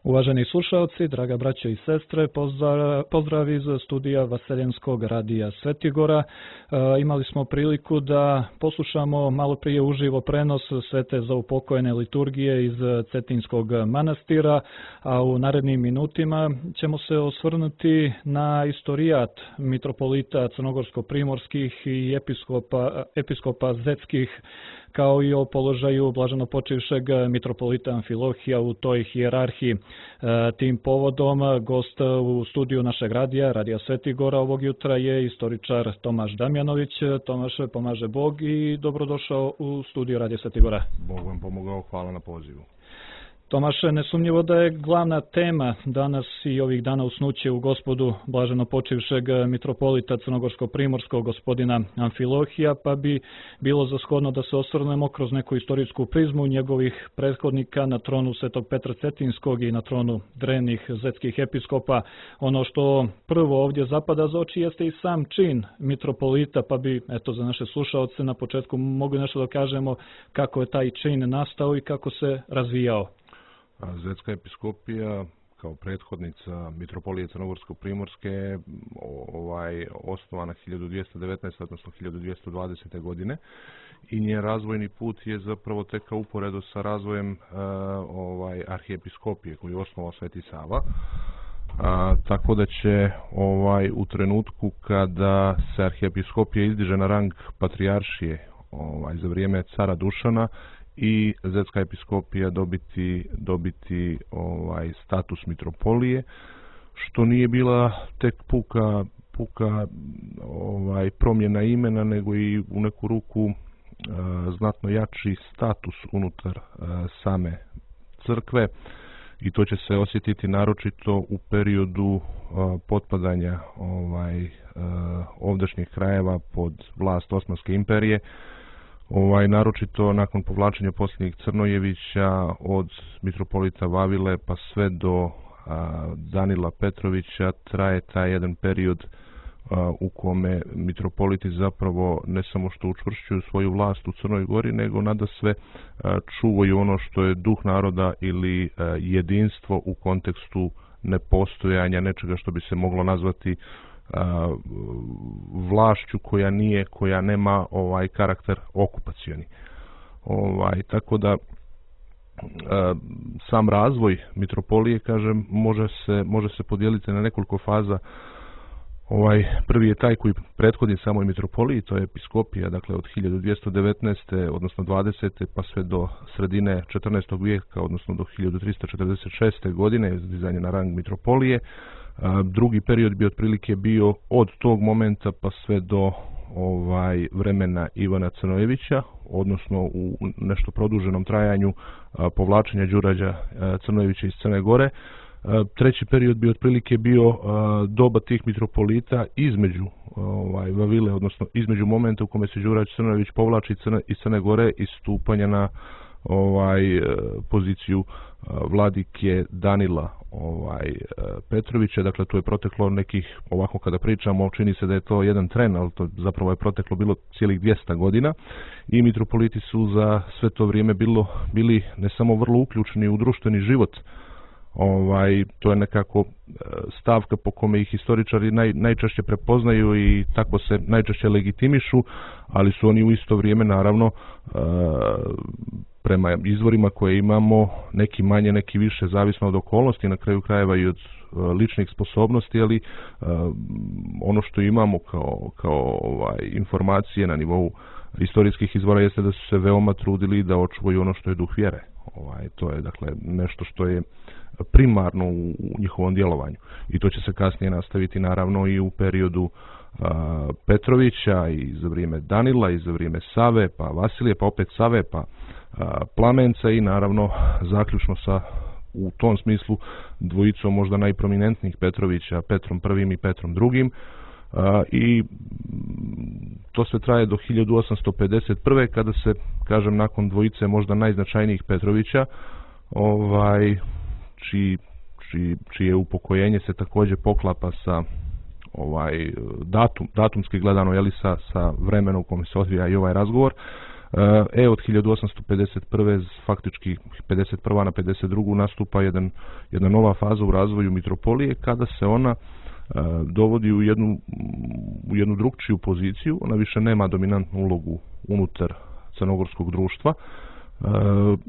Uvaženi slušalci, draga braćo i sestre, pozdrav iz studija Vaseljenskog radija Svetigora. Imali smo priliku da poslušamo malo prije uživo prenos svete zaupokojene liturgije iz Cetinskog manastira, a u narednim minutima ćemo se osvrnuti na istorijat mitropolita crnogorsko-primorskih i episkopa zetskih, kao i o položaju blaženopočivšeg mitropolita Amfilohija u toj hijerarhiji. Tim povodom gost u studiju našeg radija Svetigora ovog jutra je istoričar Tomaš Damjanović. Tomaš, pomaže Bog i dobrodošao u studiju Radija Svetigora. Bog vam pomogao, hvala na pozivu. Tomaše, nesumnjivo da je glavna tema danas i ovih dana usnuće u Gospodu blaženopočivšeg mitropolita crnogorsko-primorskog gospodina Amfilohija, pa bi bilo za shodno da se osvrnemo kroz neku istorijsku prizmu njegovih prethodnika na tronu Svetog Petra Cetinskog i na tronu drevnih zetskih episkopa. Ono što prvo ovdje zapada za oči jeste i sam čin mitropolita, pa bi za naše slušaoce na početku mogli nešto da kažemo kako je taj čin nastao i kako se razvijao. Zetska episkopija kao prethodnica mitropolije crnogorsko-primorske osnovana 1219. odnosno 1220. godine i njen razvojni put je zapravo tekao uporedo sa razvojem arhijepiskopije koju je osnovao Sveti Sava. Tako da će u trenutku kada se arhijepiskopija izdiže na rang patrijaršije za vrijeme cara Dušana i zetska episkopija dobiti status mitropolije, što nije bila tek puka promjena imena, nego i u neku ruku znatno jači status unutar same crkve, i to će se osjetiti naročito u periodu potpadanja ovdašnjih krajeva pod vlast Osmanske imperije. Naročito nakon povlačenja posljednjih Crnojevića od mitropolita Vavile pa sve do Danila Petrovića traje taj jedan period u kome mitropoliti zapravo ne samo što učvršćuju svoju vlast u Crnoj Gori, nego nadasve čuvaju ono što je duh naroda ili jedinstvo u kontekstu nepostojanja nečega što bi se moglo nazvati vlašću koja nema karakter okupacioni. Tako da sam razvoj mitropolije, kažem, može se podijeliti na nekoliko faza. Prvi je taj koji prethodi samoj mitropoliji, to je episkopija, dakle od 1219. odnosno 20. pa sve do sredine 14. vijeka, odnosno do 1346. godine, dizanje na rang mitropolije. Drugi period bi otprilike bio od tog momenta pa sve do vremena Ivana Crnojevića, odnosno u nešto produženom trajanju povlačenja Đurađa Crnojevića iz Crne Gore. Treći period bi otprilike bio doba tih mitropolita između Vavile, odnosno između momenta u kome se Đurađ Crnojević povlači iz Crne Gore i stupanja na poziciju vladike Danila Petrovića. Dakle, tu je proteklo nekih, ovako kada pričamo, čini se da je to jedan tren, ali to zapravo je proteklo bilo cijelih 200 godina i mitropoliti su za sve to vrijeme bili ne samo vrlo uključeni u društveni život. To je nekako stavka po kome ih historičari najčešće prepoznaju i tako se najčešće legitimišu, ali su oni u isto vrijeme naravno prema izvorima koje imamo, neki manje, neki više, zavisno od okolnosti, na kraju krajeva i od ličnih sposobnosti, ali ono što imamo kao informacije na nivou historijskih izvora jeste da su se veoma trudili da očuvaju ono što je duh vjere. To je dakle nešto što je primarno u njihovom djelovanju i to će se kasnije nastaviti naravno i u periodu Petrovića i za vrijeme Danila i za vrijeme Save, pa Vasilije, pa opet Save, pa Plamenca i naravno zaključno sa u tom smislu dvojicom možda najprominentnijih Petrovića, Petrom I i Petrom II. I to sve traje do 1851. kada se, kažem, nakon dvojice možda najznačajnijih Petrovića, čije upokojenje se također poklapa sa datumski gledano, sa vremenom u kome se odvija i ovaj razgovor. Od 1851. faktički 51. na 52. nastupa jedna nova faza u razvoju mitropolije kada se ona dovodi u jednu drugčiju poziciju. Ona više nema dominantnu ulogu unutar crnogorskog društva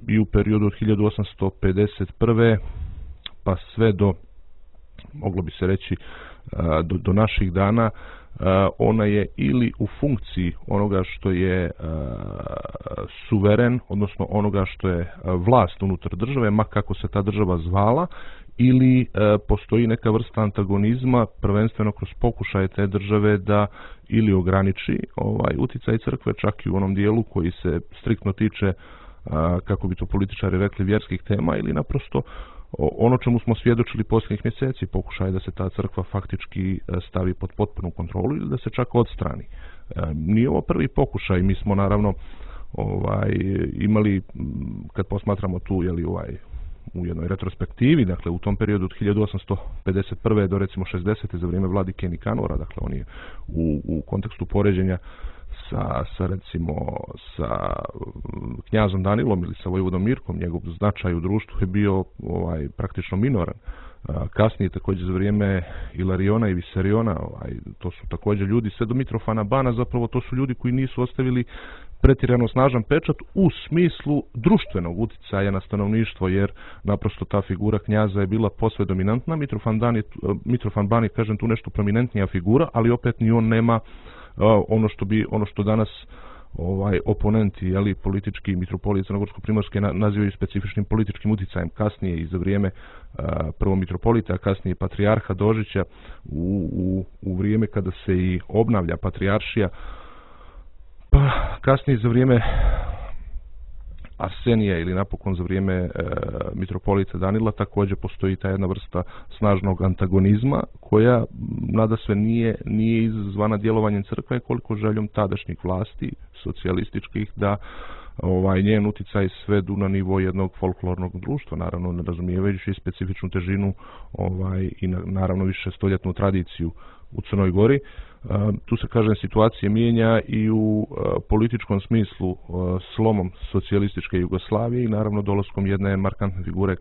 i u periodu od 1851. pa sve do, moglo bi se reći, do naših dana, ona je ili u funkciji onoga što je suveren, odnosno onoga što je vlast unutar države, ma kako se ta država zvala, ili postoji neka vrsta antagonizma, prvenstveno kroz pokušaje te države da ili ograniči uticaj crkve, čak i u onom dijelu koji se striktno tiče, kako bi to političari rekli, vjerskih tema, ili naprosto ono čemu smo svjedočili posljednjih mjeseci, pokušaj da se ta crkva faktički stavi pod potpunu kontrolu ili da se čak odstrani. Nije ovo prvi pokušaj, mi smo naravno imali, kad posmatramo tu u jednoj retrospektivi, dakle u tom periodu od 1851. do recimo 60. za vrijeme vladike Nikanora, dakle on je u kontekstu poređenja sa knjazom Danilom ili sa vojvodom Mirkom, njegov značaj u društvu je bio praktično minoran. Kasnije također za vrijeme Ilariona i Visariona, to su također ljudi, sve do Mitrofana Bana, zapravo to su ljudi koji nisu ostavili pretjerano snažan pečat u smislu društvenog uticaja na stanovništvo, jer naprosto ta figura knjaza je bila posve dominantna. Mitrofan Ban je, kažem, tu nešto prominentnija figura, ali opet ni on nema ono što danas oponenti, politički mitropolije Crnogorsko-primorske nazivaju specifičnim političkim uticajem. Kasnije i za vrijeme prvo mitropolita, a kasnije patrijarha Dožića, u vrijeme kada se i obnavlja patrijaršija, pa kasnije za vrijeme Arsenija ili napokon za vrijeme mitropolita Danila također postoji ta jedna vrsta snažnog antagonizma koja nadasve nije izazvana djelovanjem crkve koliko željom tadašnjih vlasti socijalističkih da njen uticaj svedu na nivo jednog folklornog društva, naravno ne razumijevajući specifičnu težinu i naravno više stoljetnu tradiciju u Crnoj Gori. Tu se, kažem, situacija mijenja i u političkom smislu slomom socijalističke Jugoslavije i naravno dolaskom jedne markantne figure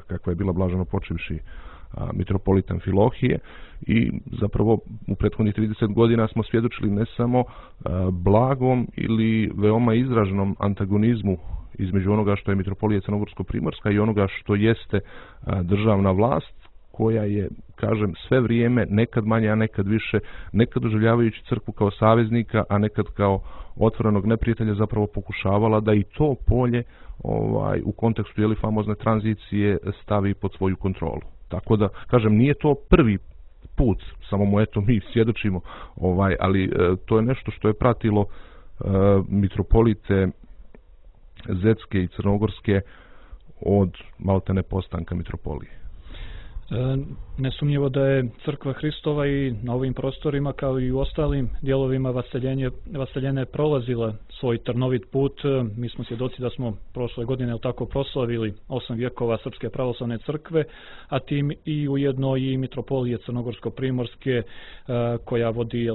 kakva je bila blaženo počivši mitropolit Amfilohije i zapravo u prethodnih 30 godina smo svjedočili ne samo blagom ili veoma izraženom antagonizmu između onoga što je mitropolija Crnogorsko-primorska i onoga što jeste državna vlast, koja je, kažem, sve vrijeme, nekad manje, a nekad više, nekad doživljavajući crkvu kao saveznika, a nekad kao otvorenog neprijatelja, zapravo pokušavala da i to polje u kontekstu famozne tranzicije stavi pod svoju kontrolu. Tako da, kažem, nije to prvi put, samo mu mi svjedočimo, ali to je nešto što je pratilo mitropolite Zetske i Crnogorske od maltene postanka mitropolije. Nesumnjivo da je Crkva Hristova i na ovim prostorima kao i u ostalim dijelovima vaseljene prolazila svoj trnovit put. Mi smo svjedoci da smo prošle godine tako proslavili 8 vjekova Srpske pravoslavne crkve, a tim i ujedno i mitropolije Crnogorsko-primorske koja vodi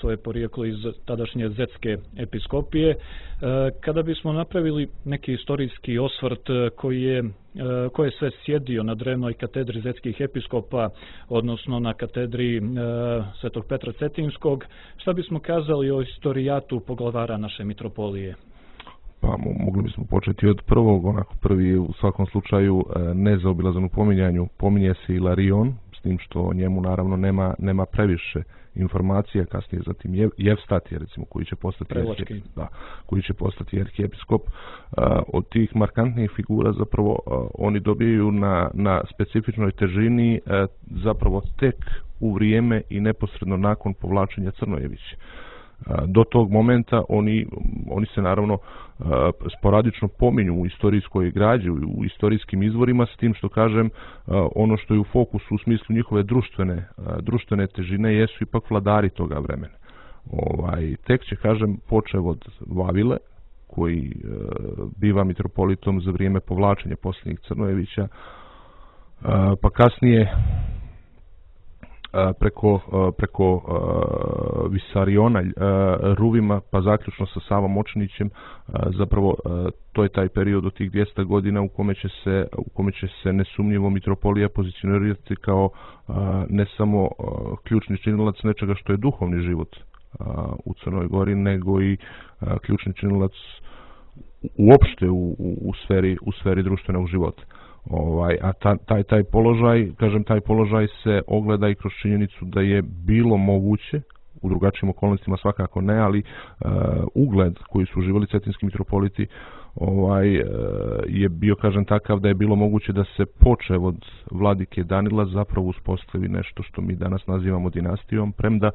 svoje porijeklo iz tadašnje Zetske episkopije. Kada bismo napravili neki istorijski osvrt koji je sve sjedio na drevnoj katedri zetskih episkopa, odnosno na katedri Svetog Petra Cetinskog, šta bismo kazali o istorijatu poglavara naše mitropolije? Pa mogli bismo početi od prvog, prvi u svakom slučaju nezaobilazan u pominjanju, pominje se Ilarion, s tim što o njemu naravno nema previše informacija, kasnije zatim Jevstatije, recimo, koji će postati arhiepiskop. Od tih markantnih figura zapravo oni dobijaju na specifičnoj težini zapravo tek u vrijeme i neposredno nakon povlačenja Crnojevića. Do tog momenta oni se naravno sporadično pominju u istorijskoj građi, u istorijskim izvorima, s tim što, kažem, ono što je u fokusu u smislu njihove društvene težine jesu ipak vladari toga vremena. Tek će, kažem, počev od Vavile, koji biva mitropolitom za vrijeme povlačenja posljednjih Crnojevića, pa kasnije preko Visariona, Ruvima, pa zaključno sa Savom Močinićem, zapravo to je taj period od tih 200 godina u kome će se nesumnjivo mitropolija pozicionirati kao ne samo ključni činilac nečega što je duhovni život u Crnoj Gori, nego i ključni činilac uopšte u sferi društvenog života. A taj položaj se ogleda i kroz činjenicu da je bilo moguće, u drugačijim okolnostima svakako ne, ali ugled koji su uživali cetinski mitropoliti je bio, kažem, takav da je bilo moguće da se počev od vladike Danila zapravo uspostavi nešto što mi danas nazivamo dinastijom, premda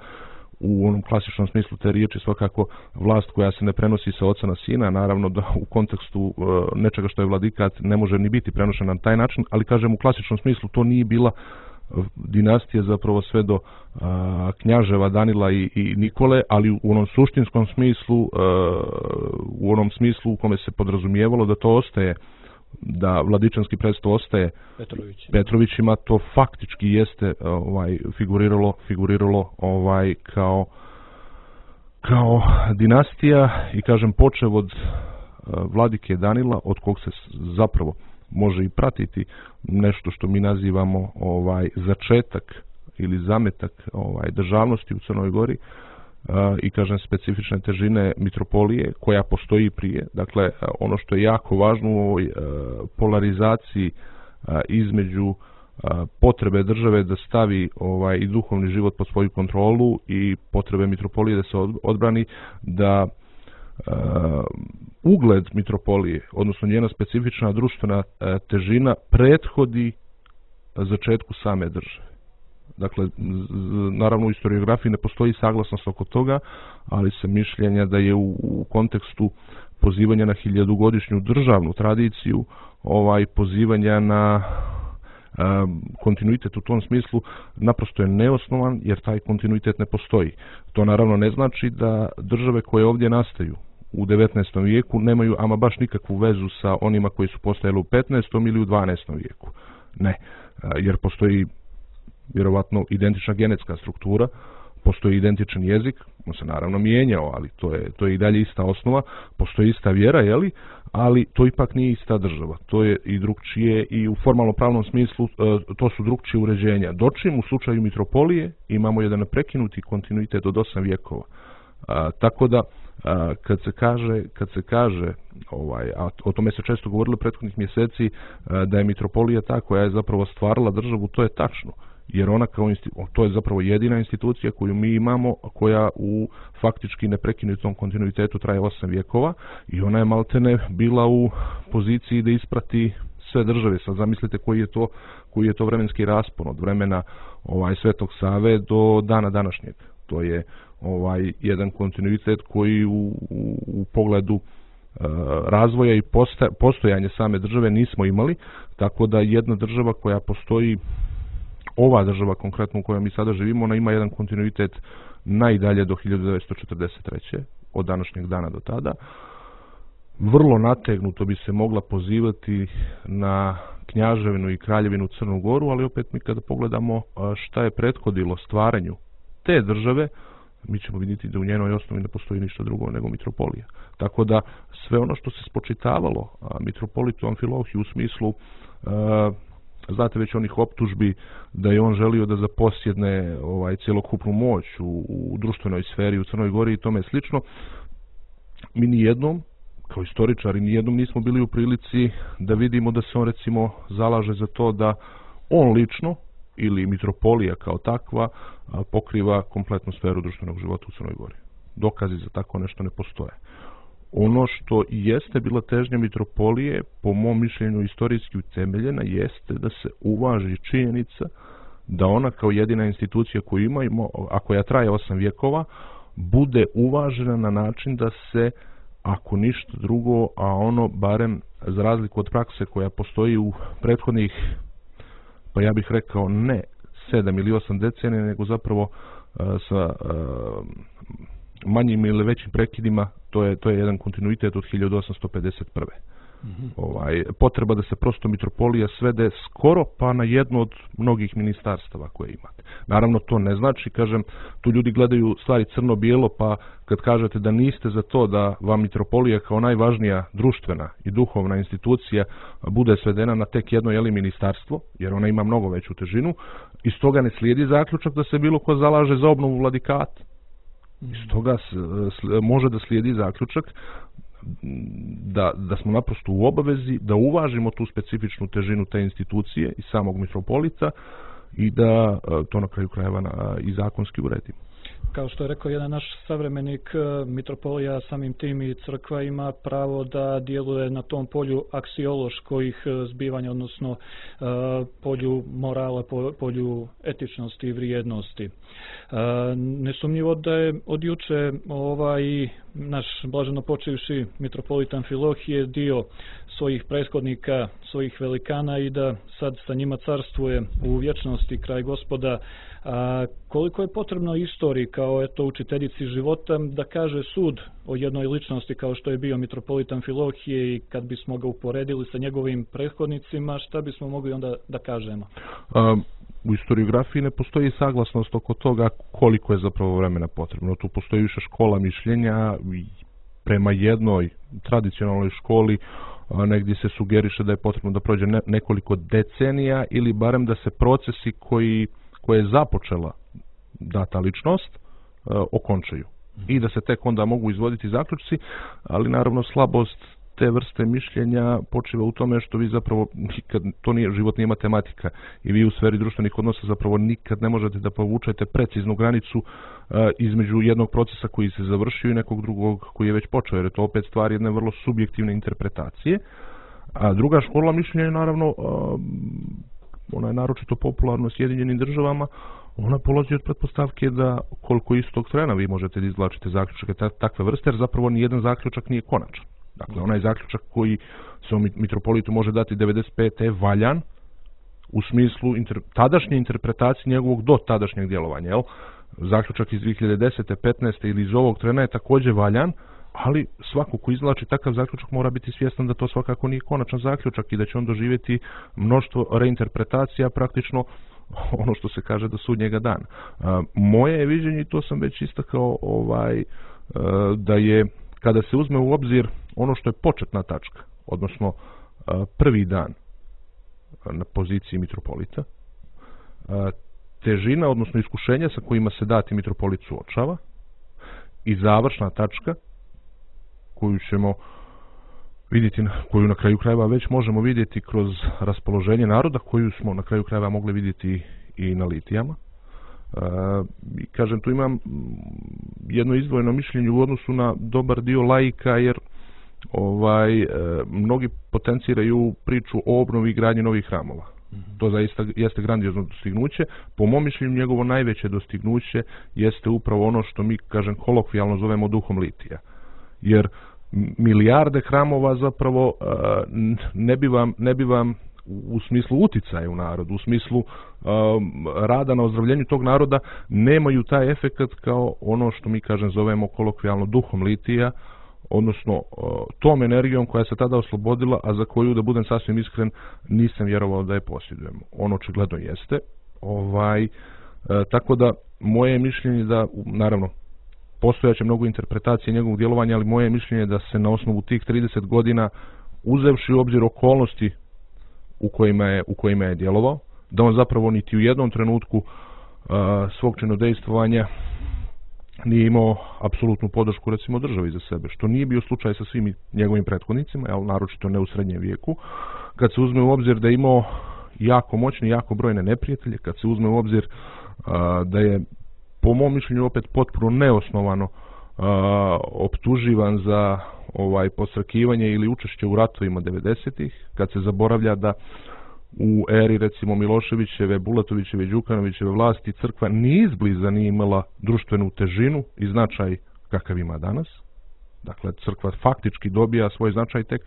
u onom klasičnom smislu te riječi svakako vlast koja se ne prenosi sa oca na sina, naravno da u kontekstu nečega što je vladikat ne može ni biti prenošena na taj način, ali kažem u klasičnom smislu to nije bila dinastija zapravo sve do knjaževa Danila i Nikole, ali u onom suštinskom smislu, u onom smislu u kome se podrazumijevalo da to ostaje, da vladičanski presto ostaje Petrovićima, to faktički jeste figuriralo kao dinastija i kažem počev od vladike Danila, od kog se zapravo može i pratiti nešto što mi nazivamo začetak ili zametak državnosti u Crnoj Gori i kažem specifične težine mitropolije koja postoji prije. Dakle, ono što je jako važno u ovoj polarizaciji između potrebe države da stavi i duhovni život pod svoju kontrolu i potrebe mitropolije da se odbrani, da ugled mitropolije, odnosno njena specifična društvena težina prethodi začetku same države. Dakle, naravno u historiografiji ne postoji saglasnost oko toga, ali se mišljenja da je u kontekstu pozivanja na 1000-godišnju državnu tradiciju, pozivanja na kontinuitet u tom smislu naprosto je neosnovan, jer taj kontinuitet ne postoji. To naravno ne znači da države koje ovdje nastaju u 19. vijeku nemaju ama baš nikakvu vezu sa onima koji su postojali u 15. ili u 12. vijeku. Ne, jer postoji vjerovatno identična genetska struktura, postoji identičan jezik, on se naravno mijenjao, ali to je i dalje ista osnova, postoji ista vjera, ali to ipak nije ista država. To je i drugčije i u formalno pravnom smislu to su drugčije uređenja. Dočim u slučaju mitropolije imamo jedan prekinuti kontinuitet od 8 vijekova. Tako da kad se kaže a o tome se često govorilo prethodnih mjeseci, da je mitropolija ta koja je zapravo stvarala državu, to je tačno. Jer ona to je zapravo jedina institucija koju mi imamo, koja u faktički neprekinutom kontinuitetu traje 8 vijekova i ona je maltene bila u poziciji da isprati sve države. Sad zamislite koji je to vremenski raspon od vremena Svetog Save do dana današnjeg. To je jedan kontinuitet koji u pogledu razvoja i postojanja same države nismo imali, tako da jedna država koja postoji, ova država konkretno u kojoj mi sada živimo, ona ima jedan kontinuitet najdalje do 1943. od današnjeg dana do tada. Vrlo nategnuto bi se mogla pozivati na Knjaževinu i Kraljevinu Crnu Goru, ali opet mi kada pogledamo šta je prethodilo stvaranju te države, mi ćemo vidjeti da u njenoj osnovi ne postoji ništa drugo nego mitropolija. Tako da sve ono što se spočitavalo mitropolitu Amfilohiju u smislu znate već onih optužbi da je on želio da zaposjedne cjelokupnu moć u društvenoj sferi u Crnoj Gori i tome slično, mi nijednom kao istoričari nijednom nismo bili u prilici da vidimo da se on recimo zalaže za to da on lično ili mitropolija kao takva pokriva kompletnu sferu društvenog života u Crnoj Gori. Dokazi za tako nešto ne postoje. Ono što jeste bila težnja mitropolije, po mom mišljenju istorijski utemeljena, jeste da se uvaži činjenica da ona kao jedina institucija koju imamo, a koja traje 8 vijekova, bude uvažena na način da se, ako ništa drugo, a ono barem za razliku od prakse koja postoji u prethodnih, pa ja bih rekao ne 7 ili 8 decenija, nego zapravo sa manjim ili većim prekidima, to je jedan kontinuitet od 1851. Potreba da se prosto mitropolija svede skoro pa na jedno od mnogih ministarstava koje imate. Naravno, to ne znači, kažem, tu ljudi gledaju stvari crno-bijelo, pa kad kažete da niste za to da vam mitropolija kao najvažnija društvena i duhovna institucija bude svedena na tek jedno ministarstvo, jer ona ima mnogo veću težinu, iz toga ne slijedi zaključak da se bilo ko zalaže za obnovu vladikata. Iz toga može da slijedi zaključak da smo naprosto u obavezi da uvažimo tu specifičnu težinu te institucije i samog mitropolita i da to na kraju krajeva i zakonski uredimo. Kao što je rekao jedan naš savremenik, mitropolija samim tim i crkva ima pravo da djeluje na tom polju aksioloških zbivanja, odnosno polju morala, polju etičnosti i vrijednosti. Nesumnjivo da je od juče naš blaženo počivši mitropolit Amfilohije dio svojih prethodnika, svojih velikana i da sad sa njima carstvuje u vječnosti kraj Gospoda. Koliko je potrebno istoriji kao učiteljici života da kaže sud o jednoj ličnosti kao što je bio mitropolit Amfilohije i kad bismo ga uporedili sa njegovim prethodnicima, šta bismo mogli onda da kažemo? U historiografiji ne postoji saglasnost oko toga koliko je zapravo vremena potrebno. Tu postoji više škola mišljenja. Prema jednoj tradicionalnoj školi negdje se sugeriše da je potrebno da prođe nekoliko decenija ili barem da se procesi koje je započela data ličnost okončaju i da se tek onda mogu izvoditi zaključci, ali naravno slabost te vrste mišljenja počiva u tome što vi zapravo nikad, život nije matematika i vi u sferi društvenih odnosa zapravo nikad ne možete da povučete preciznu granicu između jednog procesa koji se završio i nekog drugog koji je već počeo, jer je to opet stvar jedne vrlo subjektivne interpretacije. A druga škola mišljenja je naravno ona je naročito popularna u Sjedinjenim Državama, ona polazi od pretpostavke da koliko istog trena vi možete da izvlačite zaključke takve vrste, jer zapravo nijedan zaključak nije konačan. Dakle, onaj zaključak koji se mitropolitu može dati 95. je valjan u smislu tadašnje interpretacije njegovog do tadašnjeg djelovanja. Jel? Zaključak iz 2010. 15. ili iz ovog trena je također valjan, ali svako ko izvlači takav zaključak mora biti svjestan da to svakako nije konačan zaključak i da će on doživjeti mnoštvo reinterpretacija, praktično ono što se kaže do sudnjega dana. Moje je viđenje, i to sam već istakao, da je kada se uzme u obzir ono što je početna tačka, odnosno prvi dan na poziciji mitropolita, težina, odnosno iskušenja sa kojima se dati mitropolit suočava i završna tačka koju ćemo vidjeti, koju na kraju krajeva već možemo vidjeti kroz raspoloženje naroda, koju smo na kraju krajeva mogli vidjeti i na litijama. Kažem, tu imam jedno izdvojeno mišljenje u odnosu na dobar dio laika, jer mnogi potenciraju priču o obnovi i gradnji novih hramova. To zaista jeste grandiozno dostignuće. Po mom mišljenju njegovo najveće dostignuće jeste upravo ono što mi, kažem, kolokvijalno zovemo duhom litija. Jer milijarde hramova zapravo ne bi vam u smislu uticaja u narodu, u smislu rada na ozdravljenju tog naroda, nemaju taj efekat kao ono što mi, kažem, zovemo kolokvijalno duhom litija, odnosno tom energijom koja se tada oslobodila, a za koju, da budem sasvim iskren, nisam vjerovao da je posjedujemo. On očigledno jeste. Tako da moje mišljenje da, naravno, postojaće mnogo interpretacije njegovog djelovanja, ali moje mišljenje da se na osnovu tih 30 godina, uzevši u obzir okolnosti u kojima je djelovao, da on zapravo niti u jednom trenutku svog činodejstvovanja nije imao apsolutnu podršku, recimo, državi za sebe, što nije bio slučaj sa svim njegovim prethodnicima, naročito ne u srednjem vijeku. Kad se uzme u obzir da je imao jako moćne, jako brojne neprijatelje, kad se uzme u obzir da je, po mom mišljenju, opet potpuno neosnovano optuživan za posrkivanje ili učešće u ratovima 90-ih, kad se zaboravlja da u eri, recimo, Miloševićeve, Bulatovićeve, Đukanovićeve vlasti crkva ni izbliza nije imala društvenu težinu i značaj kakav ima danas. Dakle, crkva faktički dobija svoj značaj tek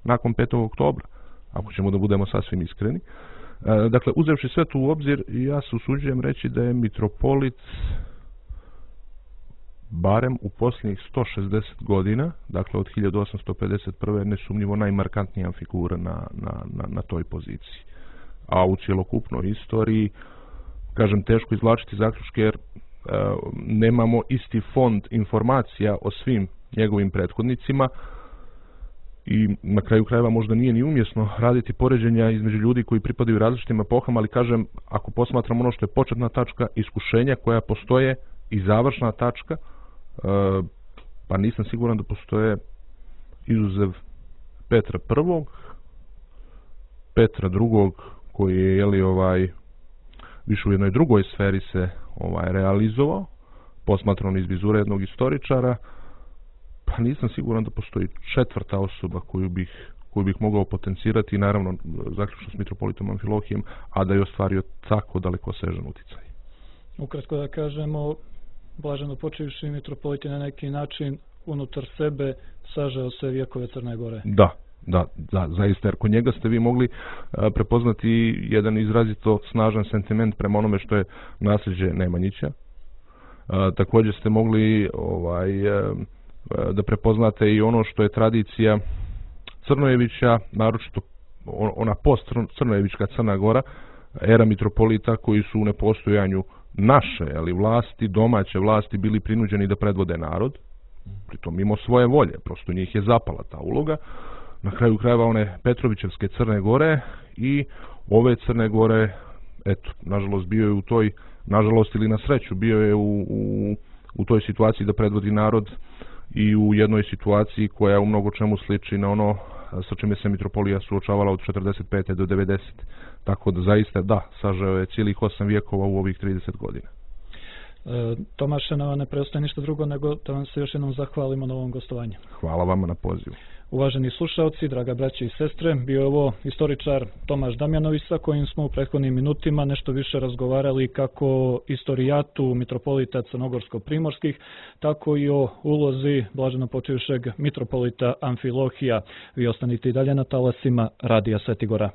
nakon 5. oktobra, ako ćemo da budemo sasvim iskreni. Dakle, uzevši sve to u obzir, ja se usuđujem reći da je mitropolit barem u posljednjih 160 godina, dakle od 1851. nesumnjivo najmarkantnija figura na toj poziciji. A u cjelokupnoj istoriji, kažem, teško izvlačiti zaključke jer nemamo isti fond informacija o svim njegovim prethodnicima i na kraju krajeva možda nije ni umjesno raditi poređenja između ljudi koji pripadaju različitim epohama, ali kažem, ako posmatramo ono što je početna tačka, iskušenja koja postoje i završna tačka, pa nisam siguran da postoje izuzev Petra I, Petra II, koji je više u jednoj drugoj sferi se realizovao, posmatrano iz vizure jednog istoričara, pa nisam siguran da postoji četvrta osoba koju bih mogao potencirati, naravno zaključno s mitropolitom Amfilohijem, a da je ostvario tako dalekosežan utjecaj. Ukratko da kažemo, blaženopočivši mitropolit je na neki način unutar sebe sažeo se vjekove Crne Gore. Da, zaista, jer kod njega ste vi mogli prepoznati jedan izrazito snažan sentiment prema onome što je nasljeđe Nemanjića. Također ste mogli da prepoznate i ono što je tradicija Crnojevića, naročito ona post-crnojevička Crna Gora, era mitropolita koji su u nepostojanju naše vlasti, domaće vlasti bili prinuđeni da predvode narod, pritom mimo svoje volje, prosto njih je zapala ta uloga. Na kraju krajeva one Petrovićevske Crne Gore i ove Crne Gore, eto, nažalost bio je u toj, nažalost ili na sreću, bio je u toj situaciji da predvodi narod i u jednoj situaciji koja u mnogo čemu sliči na ono sa čime se mitropolija suočavala od 45. do 90. Tako da zaista sažeo je cijelih 8 vijekova u ovih 30 godina. Tomaše, nama ne preostaje ništa drugo nego da vam se još jednom zahvalimo na ovom gostovanju. Hvala vama na pozivu. Uvaženi slušalci, draga braće i sestre, bio je ovo istoričar Tomaš Damjanović sa kojim smo u prethodnim minutima nešto više razgovarali kako o istorijatu mitropolita crnogorsko-primorskih, tako i o ulozi blaženopočivšeg mitropolita Amfilohija. Vi ostanite i dalje na talasima Radija Svetigora.